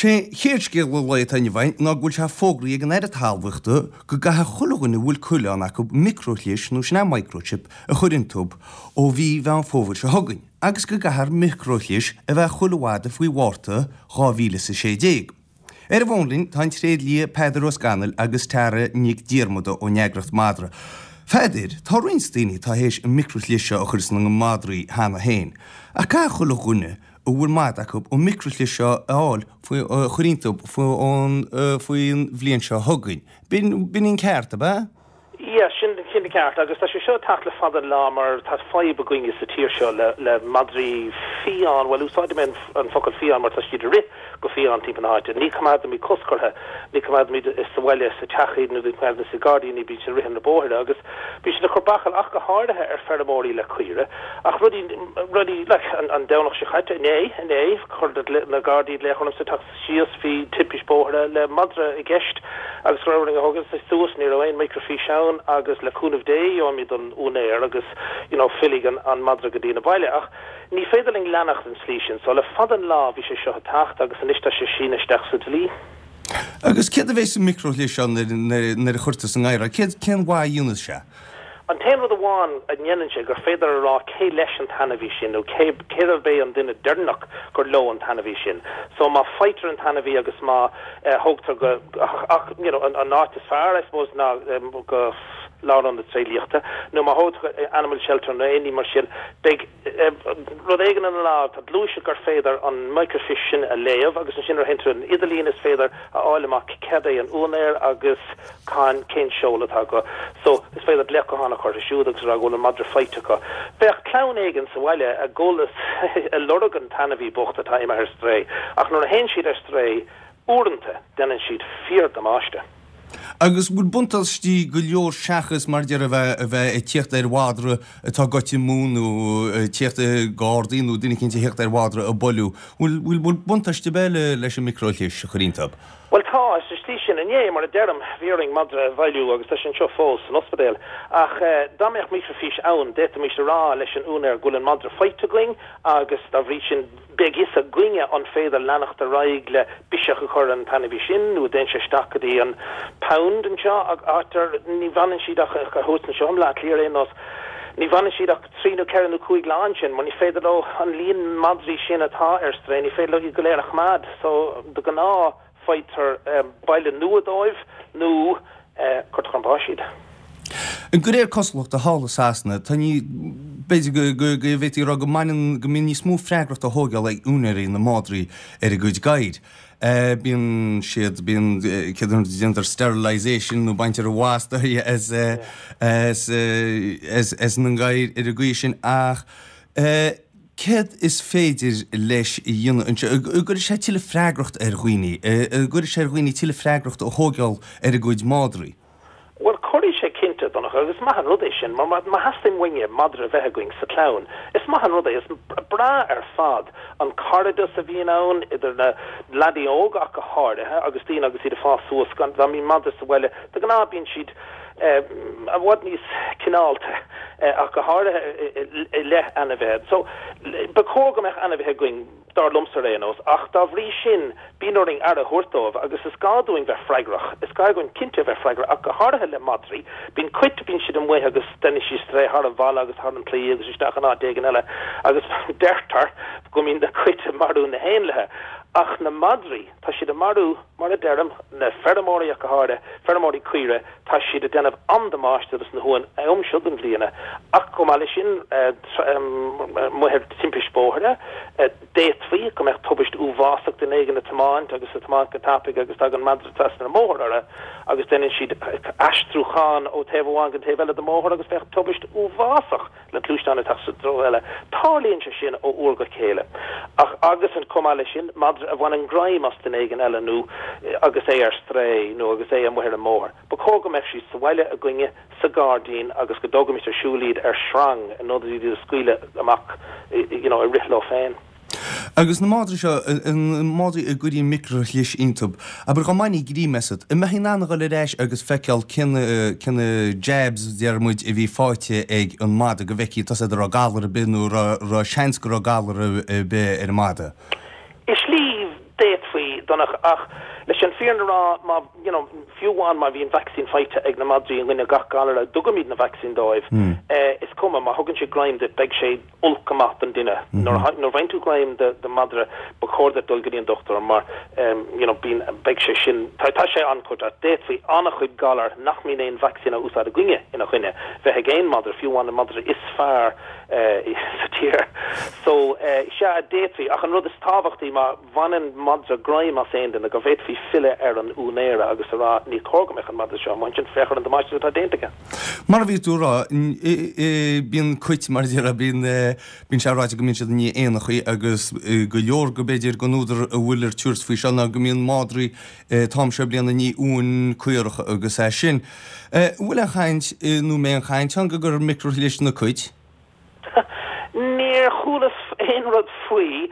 Sé chéad scéal an lae atá inniu againn ná go bhfuil sé fógraithe ag an Aire Talmhaíochta go gcaithfidh chuile dhuine a bhfuil coileán acu microchlis, nó sin é microchip, a chur iontub ó mhí Mheán Fómhair seo chugainn agus go gcaithfear microchlis a bheith chuile mhadra faoi Mhárta 2016. Ar an bhfón linn tá an tréidlia Peadar Ó Scanaill agus Tara Nic Diarmada ón eagraíocht Madra. Pheadair, tá roinnt daoine atá théis an microchlis seo a chur sna madraí cheana féin, ach caithfidh chuile dhuine a bhfuil madra acu an microchlis seo a fháil faoi, a chur iontu faoin bhliain seo chugainn. B'in, b'in an ceart, ab ea? Yeah, sin, sin an ceart. Agus tá sé seo ag teacht le fada an lá mar tá fadhb againne sa tír seo le, le madraí fiáin, bhuel úsáidfidh mé an, an focal fiáin mar tá siad ag rith go fiáin timpeall na háite. Ní coimeádaimid cosc orthu, ní coimeádaimid sa bhaile, sa teach iad nó ní coimeádaimid sa gairdín iad, bíonn siad ag rith ar na bóithre agus bíonn siad ag cur bachall ach go háirithe ar feirmeoirí le caoire. Ach rudaí, rudaí, like, an, an Domhnach seo caite, inné, inné, chuir na Gardaí glaoch ormsa teacht síos, bhí timpist bóthair le madra i gceist agus go raibh orainn a thógaint suas, ní raibh aon microfiche ann agus le cúnamh Dé gheobhaimid an úinéir agus you know fillfidh an, an madra go dtí na baile. Ach ní féidir linn leanacht an tslí sin. So le fada an lá bhí sé seo ag teacht agus anois tá sé sínithe isteach sa dlí. Agus céard a bheidh sa microchlis seo nuair, nuair, nuair a chuirtear sa ngadhar é? Céard, cén mhaith a dhéanfas sé? An t-aon rud amháin a ndéanann sé gur féidir a rá cé leis an t-ainmhí sin nó cé cérbh é an duine deireanach gur leo an t-ainmhí sin. So má faightear an t-ainmhí agus má thógtar go ach you know an áit is fearr I suppose ná go lárionad tréidliachta nó má thógtar go animal shelter nó aon ní mar sin beidh rud éigin ina lámh, tá gluaiseacht gur féidir an microfiche sin a léamh agus ansin nuair a théann tú ar an idirlíon is féidir a fháil amach céard é an úinéir agus cá, cén seoladh atá acu. So, is féidir glaoch gutháin a chur orthu siúd agus a rá go bhfuil an madra faighte acu. Bheadh clann éigin sa bhaile ag gabháil ag lorg an t-ainmhí bocht atá imithe ar strae ach nuair a théann siad ar strae, uaireanta, déanann siad fíor-damáiste. Agus bhfuil buntáistí go leor seachas mar déarfá a bheith ag tíocht ar mhadra atá goite amú nó tíocht gardaí nó duine eicínt a thíocht ar mhadra a buaileadh. Bhfuil bhfuil buntáiste ar bith leis an microchlis a chur iontub? Bhuel tá, sa tslí sin. Inné, mar a deirim, bhí orainn madra a bhailiú agus tá sé anseo fós san ospidéal. Ach dá mbeadh microfiche ann, d'fhéadfaimis a rá leis an úinéir go bhfuil an madra faighte againn agus dá bhrí sin, Beidh fhios againne an féidir leanacht ar aghaidh le biseach a chur ar an t-ainmhí sin nó an dtéann sé isteach go dtí an pound anseo, áit ar ní bhfanann siad ach thuas anseo i mBleá Cliath ar aon nós, ní bhfanann siad ach trí nó ceithre nó cúig lá ansin mar ní féidir leo an líon madraí sin atá ar strae, ní féidir leo iad go léir a choimeád. So, de ghnáth. faightear baile nua dóibh nó cuirtear chun báis iad. De réir cosúlachta thall i Sasana, tá ní, b'fhéidir go, go, go bhféadfaí a rá go mbaineann, go mbíonn níos mó freagrachta á thógáil ag úinéirí na madraí ar a gcuid gadhair. Bíonn siad, bíonn, céard a déantar sterilisation nó baintear an mhasta as, as, as, as na gadhair ar an gcaoi sin ach, Céard is féidir leis a dhéanamh anseo? An gcuirfidh sé tuilleadh freagracht ar dhaoine? An gcuirfidh sé ar dhaoine tuilleadh freagracht a thógáil ar a gcuid madraí? Bhuel, cuirfidh sé cinnte, Donncha, agus is maith an rud é sin, mar má theastaíonn uainne madra a bheith againn sa chlann, is maith an rud é, is breá ar fad an cairdeas a bhíonn ann idir na leanaí óga ach go háirithe agus daoine agus iad ag fás suas, dá mbíonn madra sa bhaile, de ghnáth bíonn siad i bhfad níos cineálta, ach go háirithe i leith ainmhithe. So, ba chóir go mbeadh ainmhithe againn, dar liomsa ar aon nós, ach dá bhrí sin, bíonn orainn aire a thabhairt dóibh agus is gá dúinn bheith freagrach. Is gá dúinn cinnte a bheith freagrach, ach go háirithe le madraí. Bíonn cait, bíonn siad amuigh agus déanann siad strae thar an bhalla agus thar an claí agus isteach in áit éigin eile agus deirtear go mbíonn na cait ag marú na héanlaithe. Ach na madraí, tá siad ag marú Mar a deirim, na feirmeoirí ach go háirithe, feirmeoirí caoire, tá siad ag déanamh an-damáiste dos na huain an am seo den bhliain. Ach chomh maith leis sin, amuigh ar timpist bóthair, d'fhéadfaí go mbeadh tubaist uafásach, duine éigin ag tiomáint agus ag tiomáint go tapaidh agus tagann madra trasna an mbóthar orthu agus déanann siad aistriúchán ó taobh amháin go taobh eile den mbóthar agus bheadh tubaist uafásach. le gluaisteán ag teacht sa treo eile. Tarlaíonn sé sin ó uair go chéile. Ach agus chomh maith leis sin, madra a bhaineann greim as duine éigin eile nó agus é ar strae nó agus é amuigh ar an mbóthar. Ba chóir go mbeadh siad sa bhaile againne, sa ghairdín agus go dtógaimis ar siúl iad ar sreang in ionad iad a scaoileadh amach you know ag rith leo féin. Agus na madraí seo, na madraí a gcuirtí micreachlis iontub, abair dhá mbainfí greim asat, an mbeifí in ann a dhul ar ais agus feiceáil cé na, cé na jabs, deir muid, a bhí faighte ag an madra, go bhfeicfí tá a fhios agat an raibh galar ar bith nó an raibh seans go raibh galar ar bith ar an madra? I slí, d'fhéadfaí. Donncha, ach leis an fírinne a rá, má, you know, fiú amháin má bhíonn vacsaín faighte ag na madraí i gcoinne gach galar a dtugaimid na vacsaín dóibh, is cuma, má thugann siad greim duit, beidh sé olc go maith don duine. Nuair a bhfaigheann tú greim de mhadra, ba chóir duit dul go dtí an dochtúir mar, you know, bíonn, beidh sé sin, tá, tá sé an-chontúirteach. D'fhéadfaí an-chuid galar nach mbíonn aon vacsaín á úsáid againne ina choinne, bheith ag aon mhadra, fiú amháin an madra is fearr sa tír. So, sea, d'fhéadfaí, ach an rud is tábhachtaí, má bhaineann madra greim as aon duine, go bhféadfaí filleadh ar an úinéara agus a rá, ní cóir go mbeadh an madra seo amuigh ansin, féach ar an damáiste atá déanta aige. Mar a bhí tú a rá, bíonn cait, mar a déarfá, bíonn, bíonn sé ráite go mbíonn siad i ndiaidh éanachaí agus go leor go b'fhéidir den údar a bhfuil ar tabhairt faoi seo ná go mbíonn madraí an t-am seo bliana i ndiaidh uain caorach agus é sin. An bhfuil aon chaint, nó an mbeidh aon chaint ann go gcuirfear micreaghlios sna cait? Níor chualas aon rud faoi.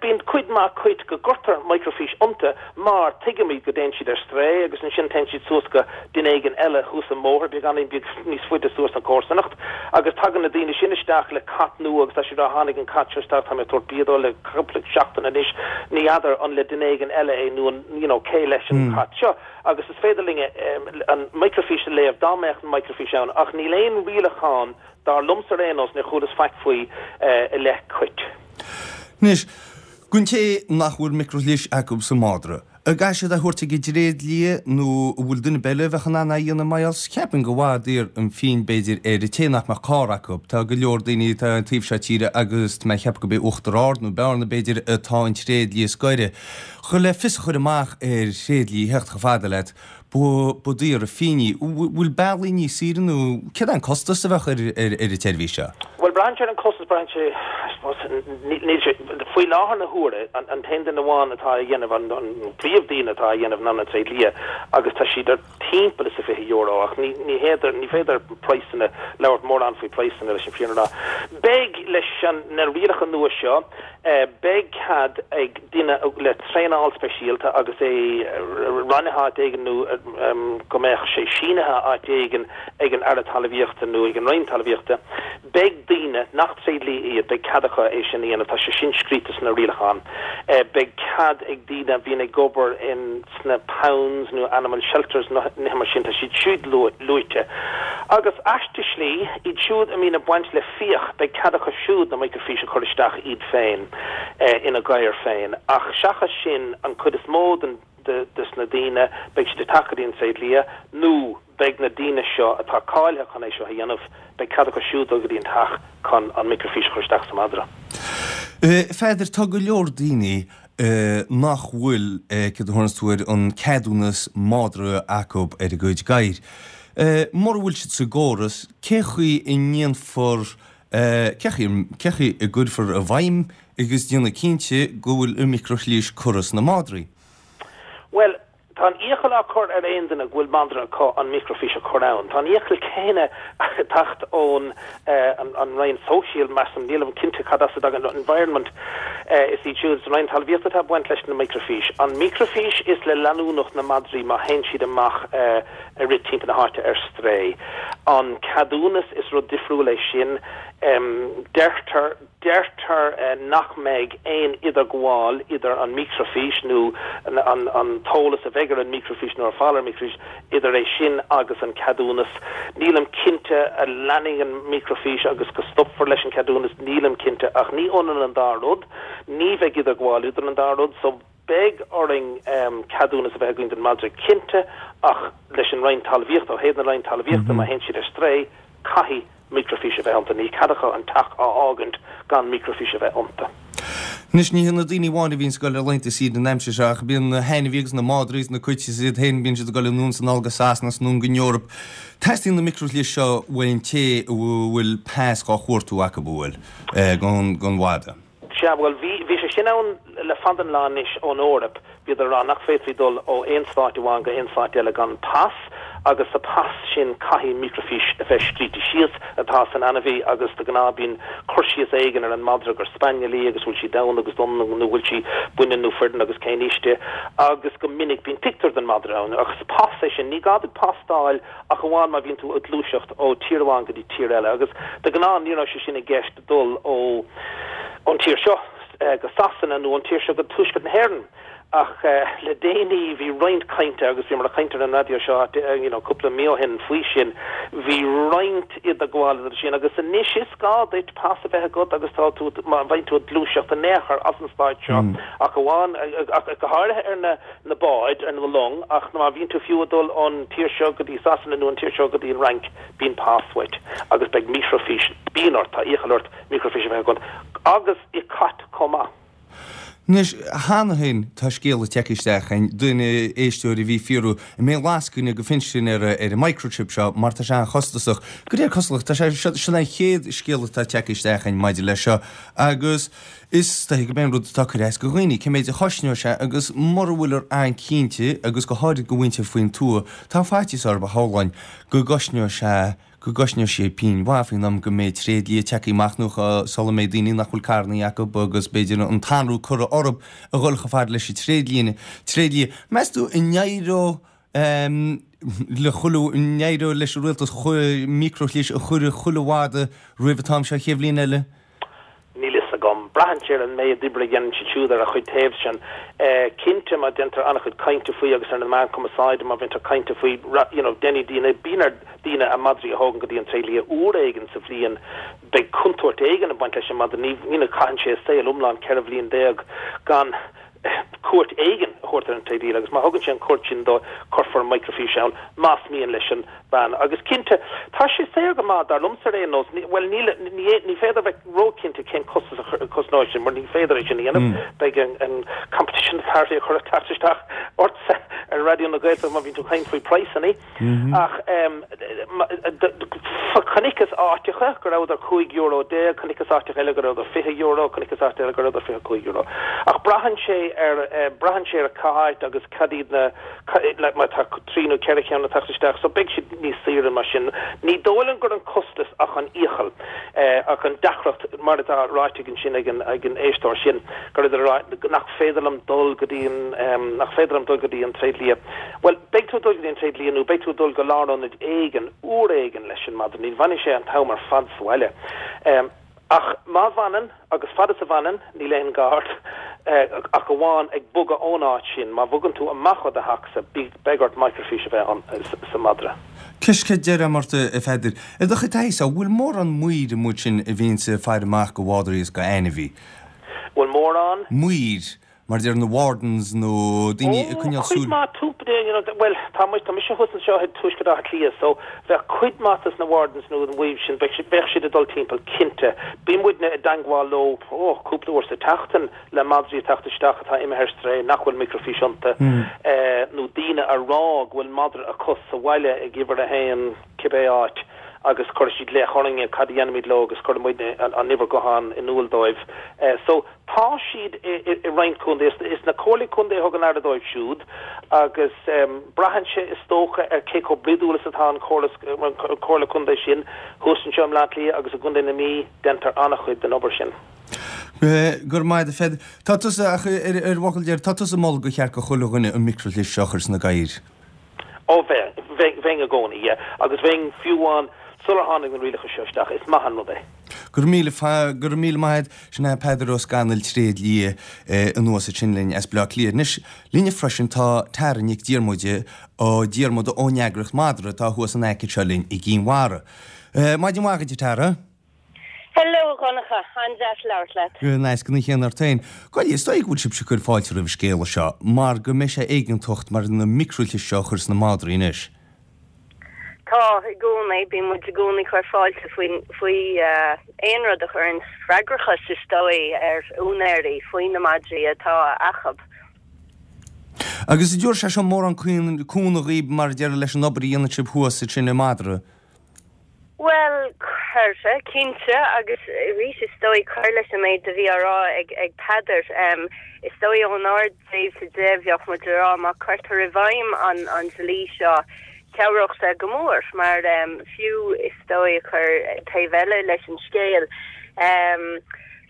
Bíonn cuid mhaith cait go gcuirtear microfiche iontu mar tuigimid go dtéann siad ar strae agus ansin téann siad suas go duine éigin eile thuas an mbóthar beagáinín beag níos faide suas an chomharsanacht agus tagann na daoine sin isteach le cat nua agus tá siad á tháinig an cat seo isteach tá mé ag tabhairt bia dó le cúpla seachtain anois ní fheadar an le duine éigin eile é nó an you know cé leis an cat seo agus is féidir linn an microfiche a léamh dá mbeadh an microfiche ann ach níl aon rialachán Dar liomsa ar aon nós, níor chualas faic faoi i leith cait. Anois, don té nach bhfuil micreaghlios acu sa mhadra, an gcaithfidh siad é a thabhairt ag an dtréidlia nó an bhfuil duine ar bith eile a bheadh in ann é a dhéanamh mar gheall 's cheapfainn gur daor an phingin b'fhéidir ar an té nach mbeadh carr acu. Tá go leor daoine atá an taobh seo tíre agus tá mé ag ceapadh gurb é Uachtar Ard nó Bearna b'fhéidir atá an tréidlia is gaire. Chun le fios a chur amach ar thréidlia a theacht chomh fada leat, Ba daor an phingin í. Bhfuil bealaí níos saoire nó céard é an costas a bheadh ar an tseirbhís seo? Bhuel, braitheann sé ar an costas, braitheann sé, I suppose, níl sé, faoi láthair na huaire, an t-aon duine amháin atá á dhéanamh, an príomh-daoine atá á dhéanamh ná na tréidlia agus tá siad ar timpeall is a €20 ach ní, ní féidir, ní féidir praghsanna, labhairt mórán faoi praghsanna leis an fírinne a rá. Beidh, leis an, na rialacha nua seo, Beidh cead ag duine le traenáil speisialta agus é roinnithe áit éigin nó go mbeadh sé sínithe áit éigin ag an Aire Talmhaíochta nó ag an Roinn Talmhaíochta, beidh daoine nach tréidlia iad, beidh cead acu é sin a dhéanamh, tá sé sin scríte sna rialacháin. Beidh cead ag daoine a bhíonn ag obair in. sna pounds nó animal shelters nó nithe mar sin, tá siad siúd luaite. Agus aisteach slí, iad siúd a mbíonn ag baint le fiach, beidh cead acu siúd na microfiche a chur isteach iad féin ina gadhair féin. Ach seachas sin, an chuid is mó den des na daoine, beidh siad ag teacht go dtí an tréidlia nó beidh na daoine seo atá cáilithe chun é seo a dhéanamh, beidh cead acu siúd dul go dtí an teach chun an microfiche a chur isteach sa madra. A Pheadair, tá go leor daoine nach bhfuil, céard a thabharanns tú air, an ceadúnas madra acu ar a gcuid gadhair. Mura bhfuil siad sa gcóras, cé chaoi a ndéanfar, cé chaoi, cé chaoi a gcuirfear i bhfeidhm agus déanamh cinnte go bhfuil an micreaghlios curtha sna madraí? Bhuel, Tá an iachall á chur ar aon duine go bhfuil madra acu an microfiche a chur ann. Tá an iachall céanna ag teacht ón an Roinn Sóisial, measaim, nílim cinnte cad as a dtagann, Environment, is iad siúd, is an Roinn Talmhaíochta atá ag baint leis na microfiche. An microfiche is le leanúnacht na madraí má théann siad amach ag rith timpeall na háite ar strae. An ceadúnas, is rud difriúil é sin. Deirtear. Deirtear nach mbeidh aon idirghabháil idir an microfiche nó an t-eolas a bheidh ar an microfiche nó ar fáil ar an microfiche, idir é sin agus an ceadúnas. Nílim cinnte an leanfaidh an microfiche agus go stopfar leis an cheadúnas, nílim cinnte ach ní ionann an dá rud. Ní bheidh idirghabháil idir an dá rud so beidh orainn ceadúnas a bheith againn don madra cinnte ach leis an Roinn Talmhaíochta, ó thaobh na Roinn Talmhaíochta má théann siad ar strae, caithfidh microfiche a bheith iontu. Níl cead acu an teach a fhágaint gan microfiche a bheith iontu. Anois, ní hé na daoine amháin a bhíonns ag dul ar laethanta saoire an aimsir seo, ach bíonn na hainmhithe agus na madraí agus na cait is iad féin, bíonn siad ag dul anonn is anall go Sasana is anonn go Eoraip. Teastaíonn na microghlios seo uaidh an té a bhfuil pas dhá chuartú acu, an bhfuil, don mhadra. Sea, bhuel, bhí, bhí sé sin ann le fada an lá anois ón Eoraip. Bhíodar ag rá nach bhféadfaí dul ó aon stáit amháin go aon stáit eile gan pas agus sa pas sin caithfidh microfiche a bheith scríte síos atá san ainmhí agus de ghnáth bíonn cur síos éigin ar an madra gur spaniel í agus bhfuil sí donn agus donn nó bhfuil sí baineann nó fireann agus cén aois di agus go minic bíonn pictiúr den madra ann agus pas é sin. Ní gá duit pas d'fháil ach amháin má bhíonn tú ag gluaiseacht ó tír amháin go dtí tír eile agus de ghnáth ní raibh sé sin i gceist dul ó ón tír seo go Sasana nó ón tír seo go tuaisceart na hÉireann. Ach le déanaí bhí roinnt cainte, agus bhíomar ag caint ar an raidió seo you know cúpla mí ó shin faoi sin, bhí roinnt idirghabhála idir sin agus anois is gá duit pas a bheith agat agus tá tú, má bhíonn tú ag gluaiseacht in aon chor as an stáit seo ach amháin, ach go háirithe ar na na báid, ar na long, ach má bhíonn tú fiú ag dul ón tír seo go dtí Sasana nó an tír seo go dtí an Fhrainc, bíonn pas uait agus beidh micreafhís, bíonn ort, tá iachall ort micreafhís a bheith agat agus i cait chomh maith. Anois, cheana féin tá scéala tagtha isteach chugainn, duine, éisteoir a bhí ag fiafraí, an mbeidh lascaine go phinsean ar an microchip seo mar tá sé an-chostasach. De réir cosúlachta, tá sé, seo, sin an chéad scéala atá tagtha isteach chugainn maidir leis seo agus is dóiche gurb é an rud atá ag cur as do dhaoine, cé méid a chosnóidh sé agus mura bhfuilear an-cinnte agus go háirid do mhuintir faoin tuath, tá faitíos orthu shamhlóinn go gcosnóidh sé go gcosnóidh sé pingin mhaith faoin am go mbeidh tréidlia tagtha amach nó sula mbeidh daoine nach bhfuil carrannaí acu agus b'fhéidir an t-anró curtha orthu a dhul chomh fada leis an tréidlia. Tréidlia. Meas tú an n-éireoidh le chuile, an n-éireoidh leis an rialtas microchlis a chur i chuile mhadra roimh an t-am seo an chéad bhliain eile? Níl fhios agam. Braitheann sé ar an méid oibre a dhéanann siad siúd ar a chuid taobhsean. Cinnte, má déantar an-chuid cainte faoi agus ar na meáin cumarsáide, má bhíonn cainte faoi, you know, déanfaidh daoine, bíonn ar daoine a madraí a thógaint go dtí an tréidlia uair éigin sa bhliain, beidh contúirt éigin ag baint leis an madra, ní, you know, caitheann sé a saol iomlán, 14 bhliain, gan cuairt éigin a thabhairt ar an tréidlia agus má thugann sé an cuairt sin dó, cuirfear micreafhís ann, más mian leis an bean. Agus cinnte, tá sé saor go maith, dar liomsa ar aon nós, bhuel, níl, ní, ní féidir bheith róchinnte cén costas a chosnóidh sin, mar ní féidir é sin a dhéanamh. Beidh an, an Competition Authority ag cur teacht isteach ortsa ar Raidió na Gaeltachta má bhíonn tú ag caint faoi praghsanna. Ach chonaiceas áiteacha go rabhadar €15, chonaiceas áiteacha eile go rabhadar €20, chonaiceas áit eile go rabhadar €25. Ach braitheann sé ar, braitheann sé ar cá háit agus cad iad na, like má tá trí nó ceithre cheann ag teacht isteach, so beidh siad níos saoire mar sin. Ní dóigh liom gur an costas ach an iachall, ach an deacracht, mar atá ráite ansin ag an, ag an éisteoir sin, gur idir a rá nach féidir liom dul go dtí an, nach féidir liom dul go dtí an tréidlia. Bhuel, beidh tú ag dul go dtí an tréidlia nó beidh tú ag dul go lárionad éigin, uair éigin leis an madra, ní bhfanfaidh sé an t-am ar fad sa bhaile. Ach má bhfanann, agus fad is a bhfanann, níl aon ghá ort ach amháin ag bogadh ón áit sin, má bhogann tú amach ó do theachsa, beidh ort micreafhís a bheith ann sa madra. Ceist deiridh ort, a Pheadair. I do chuid taithí-sa, an bhfuil mórán maoir amuigh ansin a bhíonns ag faire amach go mhadraí is go ainmhí? Bhfuil mórán? Maoir. Mar a deir na wardens nó daoine ag coinneáil súil. Cuid mhaith túpa you know bhuel tá muid tá mise thuas anseo i dTuaisceart Átha Cliath so bheadh cuid mhaith dos na wardens nó an maoir sin bheadh bheadh siad ag dul timpeall cinnte. Bíonn muidne i dteangmháil leo oh cúpla uair sa tseachtain le madraí ag teacht isteach atá imithe ar strae nach bhfuil micreafhís iontu eh nó daoine a rá go bhfuil madra acu sa bhaile ag uimhir a haon cibé áit agus cuirfidh siad glaoch orainne cad a dhéanfaimid leo agus cuirfidh muidne an an uimhir gutháin in iúl dóibh eh so Tá siad i roinnt contae. Is na comhairlí contae a thugann aire dóibh siúd agus braitheann sé is dócha ar cé chomh bruidiúil is atá an chomhairle contae sin. Thuas anseo i mBleá Cliath agus i gContae na Mí déantar an-chuid den obair sin. Go raibh maith agat a Pheadair. Tá tusa, ach ar bhfocal deiridh, tá tusa ag moladh gur cheart go chuile dhuine an micreachlis seo a chur sna gadhair. Ó bheinn, bheinn i gcónaí, yeah. Agus bheinn fiú amháin sular tháinig na rialacha seo isteach, is maith an rud é. Go raibh míle, go raibh míle maith agat. Sin é Peadar Ó Scanaill, tréidlia anuas ansin linn as Bleá Cliath. Anois, linne freisin tá Tara Nic Diarmuide, Ó Diarmuda ón eagraíocht Madra atá thuas in aice seo linn i gCinn Mhara. Maidin mhaith dhuit a Tara. Hello a Dhonncha, an-deas labhairt leat. An céanna ort féin. Gabh i leith, is dóigh go bhfuil sibhse ag cur fáilte roimh an scéala seo mar go mbeidh sé éigeantach mar na micreachlis seo a chur sna madraí anois. Tá, i gcónaí. Bíonn muid i gcónaí ag cur fáilte faoin, faoi aon rud a chuireann freagrachas, is dóigh, ar úinéirí faoi na madraí atá acub. Agus an dtabharfaidh sé seo mórán cúnamh dhaoib mar a déarfá leis an obair a dhéanann sibh thuas ansin i Madra? Bhuel, cuirfidh, cinnte, agus arís is dóigh cur leis an méid a bhí á rá ag Peadar, is dóigh ónár dtaobhsa de, bheadh muid ag rá má cuirtear i bhfeidhm an dlí seo, chabhródh sé go mór, mar fiú is dóigh ag cur taobh eile leis an scéal,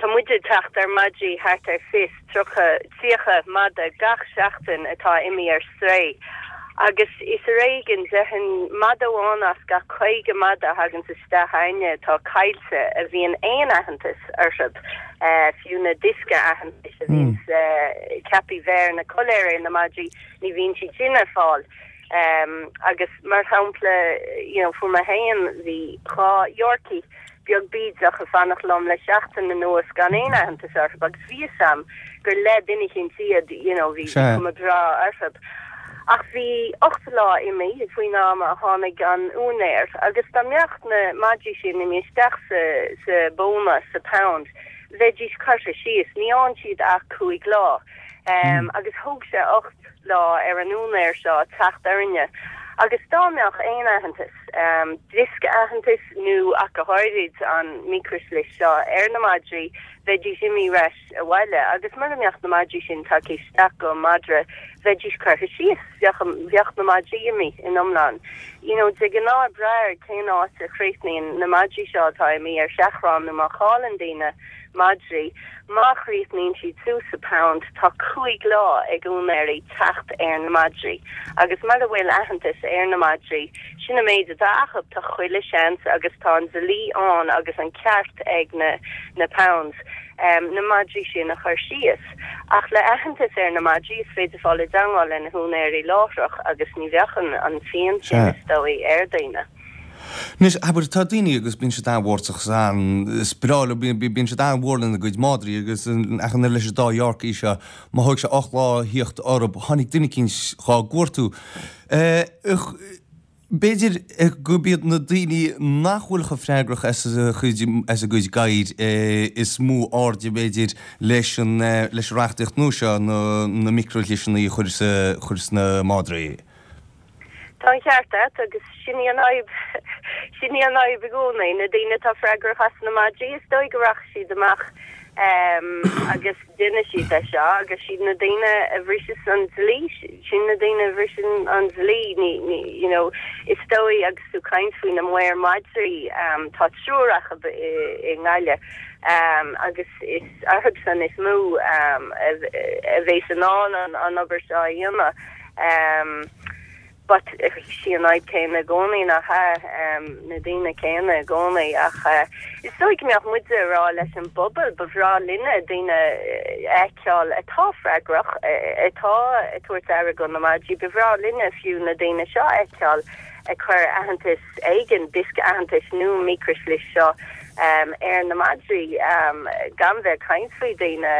tá muid ag teacht ar madraí thart ar 20, 30, 30 mada gach seachtain atá imithe ar strae. Agus is ar éigean, déarfainn, madadh amháin as gach 50 madadh a thaganns isteach a'inne atá caillte a bhíonn aon aitheantas orthu, fiú na diosca aitheantais a bhíonns ceaptha bheith ar na coiléir ar na madraí, ní bhíonn siad sin ar fáil. Agus mar shampla, you know, fuair mé féin, bhí 2 Yorkie, beag bídeach ag fanacht liom le seachtain anuas gan aon aitheantas orthu agus bhí fhios a'm gur le duine eicínt iad, you know, bhí cuma breá orthu. Ach bhí 8 lá imithe faoin am a tháinig an úinéir agus dá mbeadh na madraí sin imithe isteach sa, sa bpóna, sa pound, bheidís curtha síos. Ní fhaigheann siad ach 5 lá. Agus thóg sé 8 lá ar an úinéir seo teacht orainne agus dá mbeadh aon aitheantas, diosca aitheantais nó ach go háirid an micreashlis seo ar na madraí, bheidís imithe ar ais abhaile agus mura mbeadh na madraí sin tagtha isteach go madra, bheidís curtha síos, bheadh, bheadh na madraí imithe in iomlán. You know, de ghnáth ag brath ar cén áit a chríochnaíonn na madraí seo atá imithe ar seachrán nó má chailleann daoine madraí, má chríochnaíonn siad suas sa pound, tá 5 lá ag úinéirí teacht ar na madraí agus mura bhfuil aitheantas ar na madraí, sin an méid atá acu, tá chuile seans agus tá an dlí ann agus an ceart ag na na pounds na madraí sin a chur síos. Ach le aitheantas ar na madraí is féidir fáil i dteangmháil le na húinéirí láithreach agus ní bheadh an phian sin is dóigh ar daoine. Anois, abair, tá daoine agus bíonn siad an-mhórtasach is an, is breá leo, bíonn siad an-mhór lena gcuid madraí agus ach an oiread leis an dá Yorkie seo, má thóig sé 8 lá a thíocht orthu, tháinig duine eicínt dhá gcuartú. B'fhéidir gurb iad na daoine nach bhfuil chomh freagrach as a chuid, as a gcuid gadhair is mó airde, b'fhéidir, leis an, leis an reachtaíocht nua seo, na, na micreashliseanna a chur sa, chur sna madraí. Tá an ceart agat agus sin í an fhadhb, sin í an fhadhb i gcónaí, na daoine atá freagrach as na madraí, is dóigh go rachaidh siad amach agus déanfaidh siad é seo agus siad na daoine a bhriseas an dlí, sin na daoine a bhriseann an dlí, ní, ní, you know, is dóigh agus tú caint faoi na maoir madraí, tá triúr acu i, i nGaillimh agus is orthu san is mó a bheas in ann an, an obair seo a dhéanamh. But sí an fhadhb céanna i gcónaí, nach ea? Na daoine céanna i gcónaí. Ach is dóigh go mbeadh muide ag rá leis an bpobal, ba bhreá linne daoine a fheiceáil atá freagrach, atá ag tabhairt aire do na madraí, ba bhreá linne fiú na daoine seo a fheiceáil ag cur aitheantas éigin, diosca aitheantais nó micreashlis seo ar na madraí, gan bheith ag caint faoi daoine,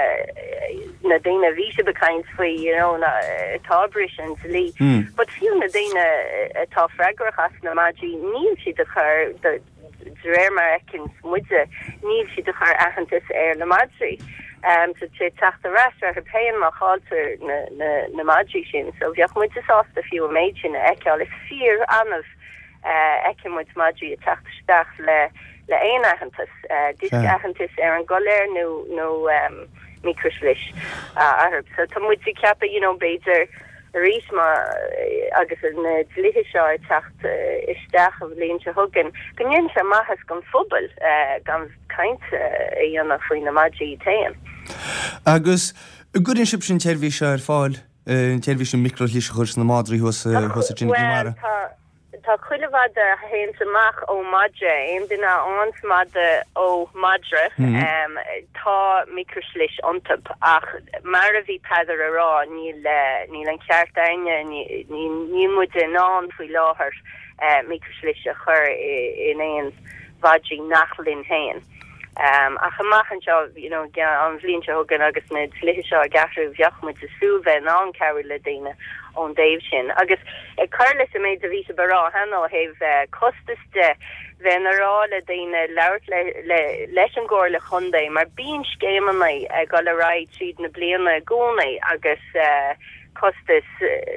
na daoine a bhí sibh ag caint faoi, you know, atá ag briseadh an dlí. But fiú na daoine atá freagrach as na madraí, níl siad ag cur, de réir mar a fheiceann muide, níl siad ag cur aitheantas ar na madraí. So tá sé ag teacht ar ais orthu féin má chailltear na, na, na madraí sin. So bheadh muide sásta fiú an méid sin a fheiceáil. Is fíor-annamh a fheiceann muid madraí ag teacht isteach le, le aon aitheantas, diosca aitheantais ar an gcoiléar nó, nó micreashlis orthu. So tá muid ag ceapadh, you know, b'fhéidir arís má, agus na dlíthe seo ag teacht isteach an bhliain seo chugainn, go ndéanfaidh sé maitheas don phobal gan caint a dhéanamh faoi na madraí iad féin. Agus an gcuireann sibhse an tseirbhís seo ar fáil, an tseirbhís an micreashlis a chur sna madraí thuas thuas i gConamara? Bhuel, tá, tá chuile mhadadh a théanns amach ó mhadra, aon duine a fhaigheanns madadh ó mhadra, tá micreashlis iontu. Ach mar a bhí Peadar a rá, níl, níl an ceart a'inne, níl muide in ann faoi láthair micreashlis a chur in aon mhadraí nach linn féin. Ach amach anseo, you know, an bhliain seo chugainn agus na dlíthe seo ag athrú, bheadh muid ag súil bheith in ann cabhrú le daoine ón dtaobh sin. Agus ag cur leis an méid a bhí sibh a rá cheana ó thaobh costas de, bheinn a rá le daoine labhairt le, le, leis an gComhairle Chontae mar bíonn scéimeanna ag dul ar aghaidh tríd na bliana i gcónaí agus costas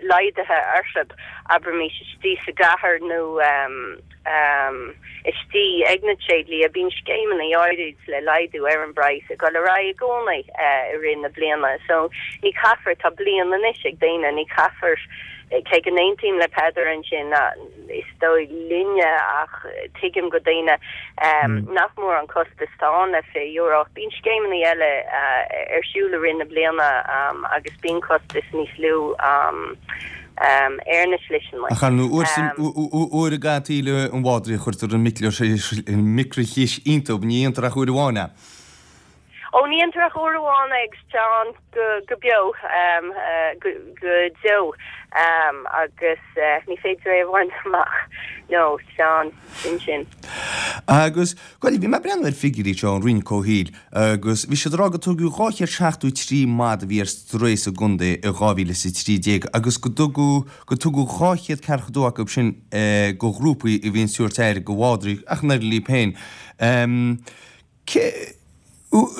laghdaithe orthu, abraimis istigh sa gcathair nó. istigh ag na tréidlia, bíonn scéimeanna áirid le laghdú ar an bpraghas ag dul ar aghaidh i gcónaí i rith na bliana. So ní caithfear, tá bliain anois ag daoine, ní caithfear, cé go n-aontaím le Peadar ansin, is dóigh linne ach tuigim go daoine nach mór an costas atá ann le €20 ach bíonn scéimeanna eile ar siúl i rith na bliana agus bíonn costas níos lú. Ar na sliseanna. Ach ar ndóigh, uair i gcaitheamh tsaoil an mhadraí a chuirtear an micrishlis iontu, ní dhéantar ach uair amháin é. Ó, ní dhéantar ach uair amháin é agus tá ann go beo, go deo, agus ní féidir é a bhaint amach, nó tá ann, sin sin. Agus, bhuel, bhí mé ag breathnú ar figiúirí seo ón Roinn Comhshaoil agus bhí siad ag rá go tugadh 273 madadh a bhí ar strae sa gcontae i 2013 agus go dtugadh, go tugadh 242 acu sin go ghrúpaí a bhíonn ag tabhairt aire go mhadraí ach an oiread líob féin. Cé,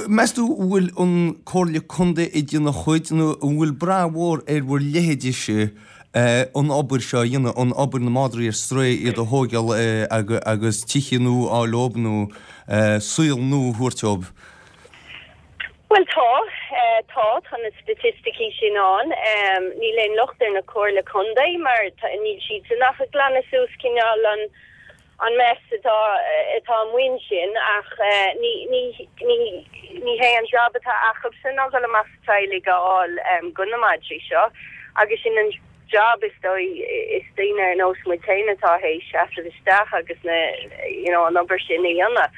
meas tú an bhfuil an Comhairle Contae ag déanamh a chuid nó an bhfuil brath mhór ar bhur leithéidese an obair seo a dhéanamh, an obair na madraí ar strae, iad a thóigeáil agus tithe nua a fháil dóibh nó saol nua a thabhairt dóibh? Bhuel tá, tá, tá na staitisticí sin ann. Níl aon locht ar na Comhairle Contae mar níl siadsan ach ag glanadh suas cineál an, an mess atá atá amuigh ansin ach ní ní ní ní hé an job atá acubhsan ná dul amach 's teaghlaigh a fháil go na madraí seo agus sin an job is dóigh is daoine ar nós muid féin atá théis seasamh isteach agus na you know an obair sin a dhéanamh.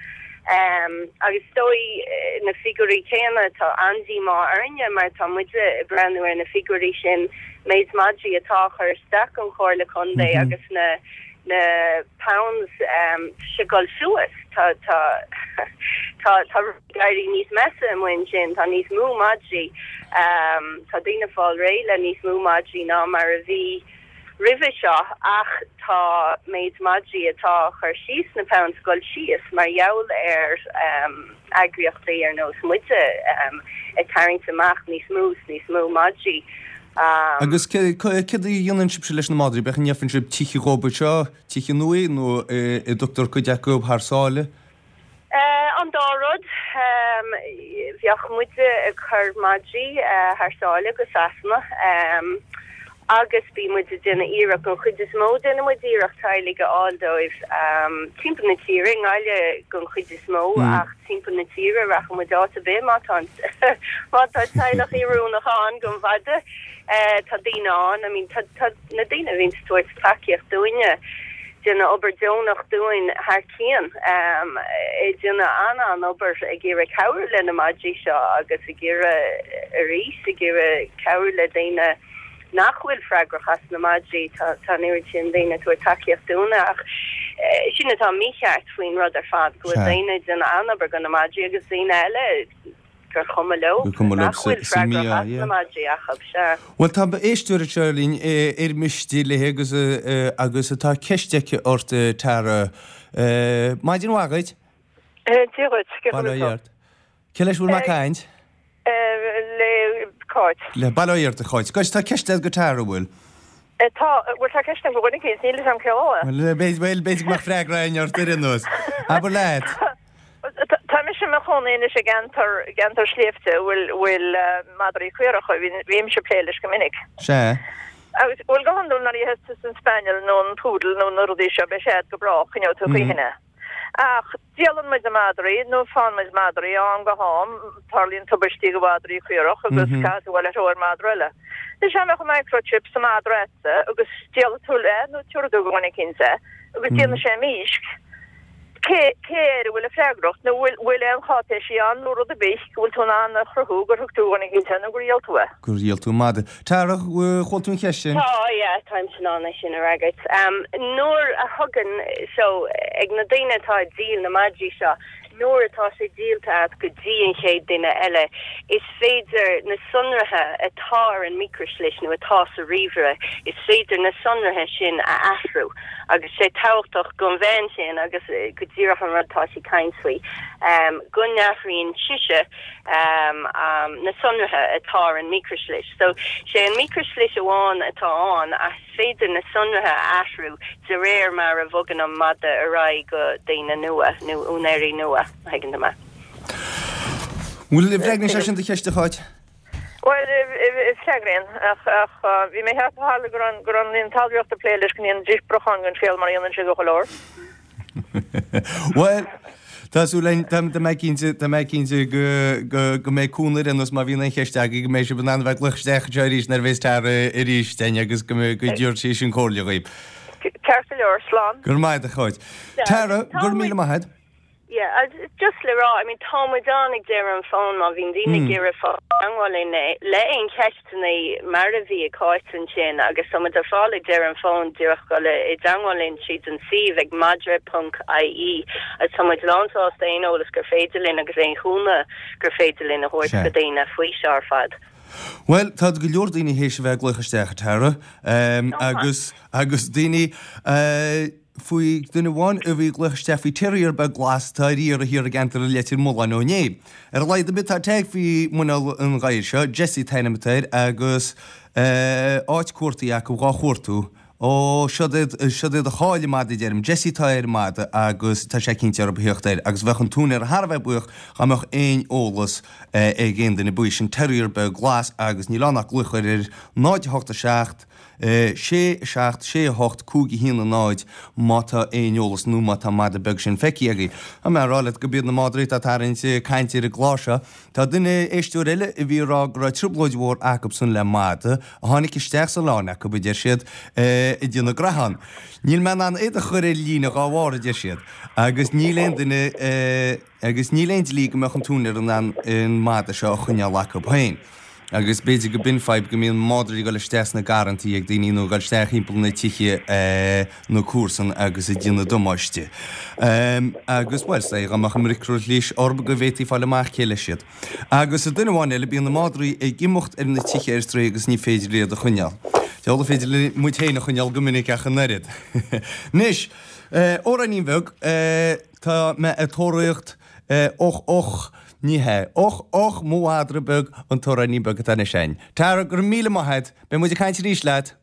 Agus is dóigh na figiúirí céanna tá an-díomá orainne mar tá muide ag breathnú ar na figiúirí sin méid madraí atá á chur isteach don Chomhairle Contae agus na na pounds tá sé ag dul suas. Tá tá tá tá rudaí ag éirí níos measa amuigh ansin. Tá níos mó madraí. Tá daoine ag fáil réidh le níos mó madraí ná mar a bhí roimhe seo ach tá méid madraí atá á chur síos sna pounds ag dul síos mar gheall ar eagraíochtaí ar nós muide ag tarraingt amach níos mó 's níos mó madraí. Agus céard a dhéanann sibhse leis na madraí? B'fhéidir an ngeibheann sibh tithe dhóibh anseo, tithe nua, nó an dtugtar cuid acu thar sáile? An dá rud. Bheadh muide ag cur madraí thar sáile go Sasana agus bíonn muid ag déanamh iarracht, don chuid is mó déanann muid iarracht teaghlaigh a fháil dóibh timpeall na tíre, i nGaillimh don chuid is mó ach timpeall na tíre, rachaidh muid áit ar bith má tá má tá teaghlach oiriúnach ann don mhadadh. Tá daoine ann, I mean tá tá na daoine a bhíonn ag tabhairt tacaíocht dúinne, déanamh obair deonach dúinn thar cionn, ag déanamh an-an-obair ag iarraidh cabhrú le na madraí seo agus ag iarraidh arís ag iarraidh cabhrú le daoine nach bhfuil freagrach as na madraí, tá an oiread sin daoine ag tabhairt tacaíocht dúinne ach sin atá mícheart faoin rud ar fad, go bhfuil daoine ag déanamh an-obair do na madraí agus daoine eile gur chuma leo, nach bhfuil freagrach as na madraí acu, sea. Bhuel, tá éisteoir anseo linn ar miste léi agus agus tá ceist aici ort, Tara. Maidin mhaith dhuit. Dia dhuit, cén chaoi a bhfuil tú? Cé leis a bhfuil mé ag caint? Le Cáit. Le Bail ó Dhia ort, a Cháit. Gois, tá ceist agat do Tara, an bhfuil? Tá, bhuel tá ceist agam do dhuine eicínt, níl fhios agam cé é. Bhuel, b'fhéidir go mbeadh freagra againn ort ar aon nós. Abair leat. Tá mise i mo chónaí anois i gceantar, gceantar sléibhte a bhfuil, bhfuil madraí caoracha, bhímse ag plé leis go minic. Sea. Agus, bhuel go hiondúil nuair a gheibheas tusa an spaniel nó an poodle nó na rudaí seo beidh siad go brách, coinneoidh tú choíchin é. Ach díolann muid na madraí, nó faigheann muid madraí ó am go ham, tarlaíonn tubaistí do mhadraí caorach agus caithfidh tú a dhul ar thóir madra eile. Anois dá mbeadh an microchip sa madra a'dsa agus díolfaidh tú é nó tabharfaidh tú do dhuine eicínt é agus déanfaidh sé mísc, cé, cé air a bhfuil an freagracht nó bhfuil, bhfuil aon cháipéisí ann nó rud ar bith go bhfuil tú in ann a chruthú gur thug tú do dhuine eicínt é nó gur dhíol tú é? Gur dhíol tú madra. Tara, chuala tú an cheist sin? Tá, yeah, táimse in ann é sin a fhreagairt. Nuair a thugann, so, ag na daoine atá ag díol na madraí seo, nuair atá sé díolta agat go dtí an chéad duine eile, is féidir na sonraithe atá ar an micreashlis nó atá sa ríomhaire, is féidir na sonraithe sin a athrú. Agus sé tábhachtach don bhean sin, agus go díreach an rud atá sí ag caint faoi, go n-athraíonn sise, na sonraithe atá ar an micreashlis. So, sé an micreashlis amháin atá ann ach is féidir na sonraithe a athrú de réir mar a bhogann an madadh ar aghaidh go daoine nua nó úinéirí nua, má thuigeann tú mé. Bhfuil, bhfreagraíonn sé sin do cheist, a Cháit? Bhuel, freagraíonn, ach bhí mé ag ceapadh tharla go raibh go raibh an Roinn Talmhaíochta ag plé leis go ndéanfaidís brocháin den scéal mar a dhéanann siad go chuile uair. Bhuel, Tá súil againn, tá tá mé cinnte, tá mé cinnte go go go mbeidh cúnamh ar aon nós má bhíonn aon cheist agaibh go mbeidh sibh in ann a bheith ag glaoch isteach anseo arís nuair a bheas Tara arís againn agus go mbeidh go dtabharfaidh sí sin comhairle dhaoibh. Ceart go leor, slán. Go raibh maith agat a Cháit. Tara, go raibh míle maith agat. Yeah, agus just le rá, I mean tá muid ann ag deireadh an fón má bhíonn daoine ag iarraidh fáil i dteangmháil linn le aon cheisteanna mar a bhí ag Cáit ansin agus tá muid ar fáil ag deireadh an fón díreach dul i dteangmháil linn tríd an suíomh ag madra.ie agus tá muid lánsásta aon eolas gur féidir linn agus aon chúnamh gur féidir linn a thabhairt go daoine faoi seo ar fad. Bhuel, tá go leor daoine théis a bheith ag glaoch isteach, a Tara, agus agus daoine faoi duine amháin a bhí ag glaoch isteach faoi terrier beag glas atá ar iarraidh thiar i gceantar Leitir Mealláin ó inné. Ar a laghad ar bith tá tag faoi mhuineál an ghadhair seo, Jessie an t-ainm atá air, agus áit cuartaithe acu dhá chuartú. Ó, siod iad, siod iad a chaill an mada, deirim. Jessie atá ar an mada agus tá sé cinnte orthu a theacht air agus bheadh an t-úinéir thar a bheith buíoch dá mbeadh aon eolas ag aon duine faoi sin terrier beag glas agus níl ann ach glaoch ar 0 8 7 6 7 6 8 5 1 0 má tá aon eolas nó má tá an mada beag sin feicthe agaibh. Tá mé a rá leat go b'iad na madraí atá ag tarraingt cainte ar an gclár seo. Tá duine, éisteoir eile, a bhí ag rá go raibh trioblóid mhór acubsan le mada a tháinig isteach sa oileán acu, a deir siad, ag déanamh graitheán. Níl mé in ann iad a chur ar líne dhá bharr, a deir siad, agus níl aon duine, Agus níl aon dlí go mbeadh an t-úinéir in ann an mada seo a choinneáil acu féin. Agus b'fhéidir go b'in fadhb go mbíonn madraí ag dul isteach sna garrantaí ag daoine nó ag dul isteach thimpeall na tithe na comharsan agus ag déanamh damáiste. Agus, bhuel, is dóigh dá mbeadh an micreashlis orthu go bhféadfaí fáil amach cé leis iad. Agus duine amháin eile, bíonn na madraí ag imeacht ar na tithe ar strae agus ní féidir iad a choinneáil. Diabhal an féidir le muid féin a choinneáil go minic ach an oiread. Anois, amhráinín bheag, Tá mé ag tóraíocht Och och, ní hea. Och och, mo mhadra beag, an t-amhráinín beag atá anois againn. Tara, go raibh míle maith agat. Beidh muid ag caint arís leat.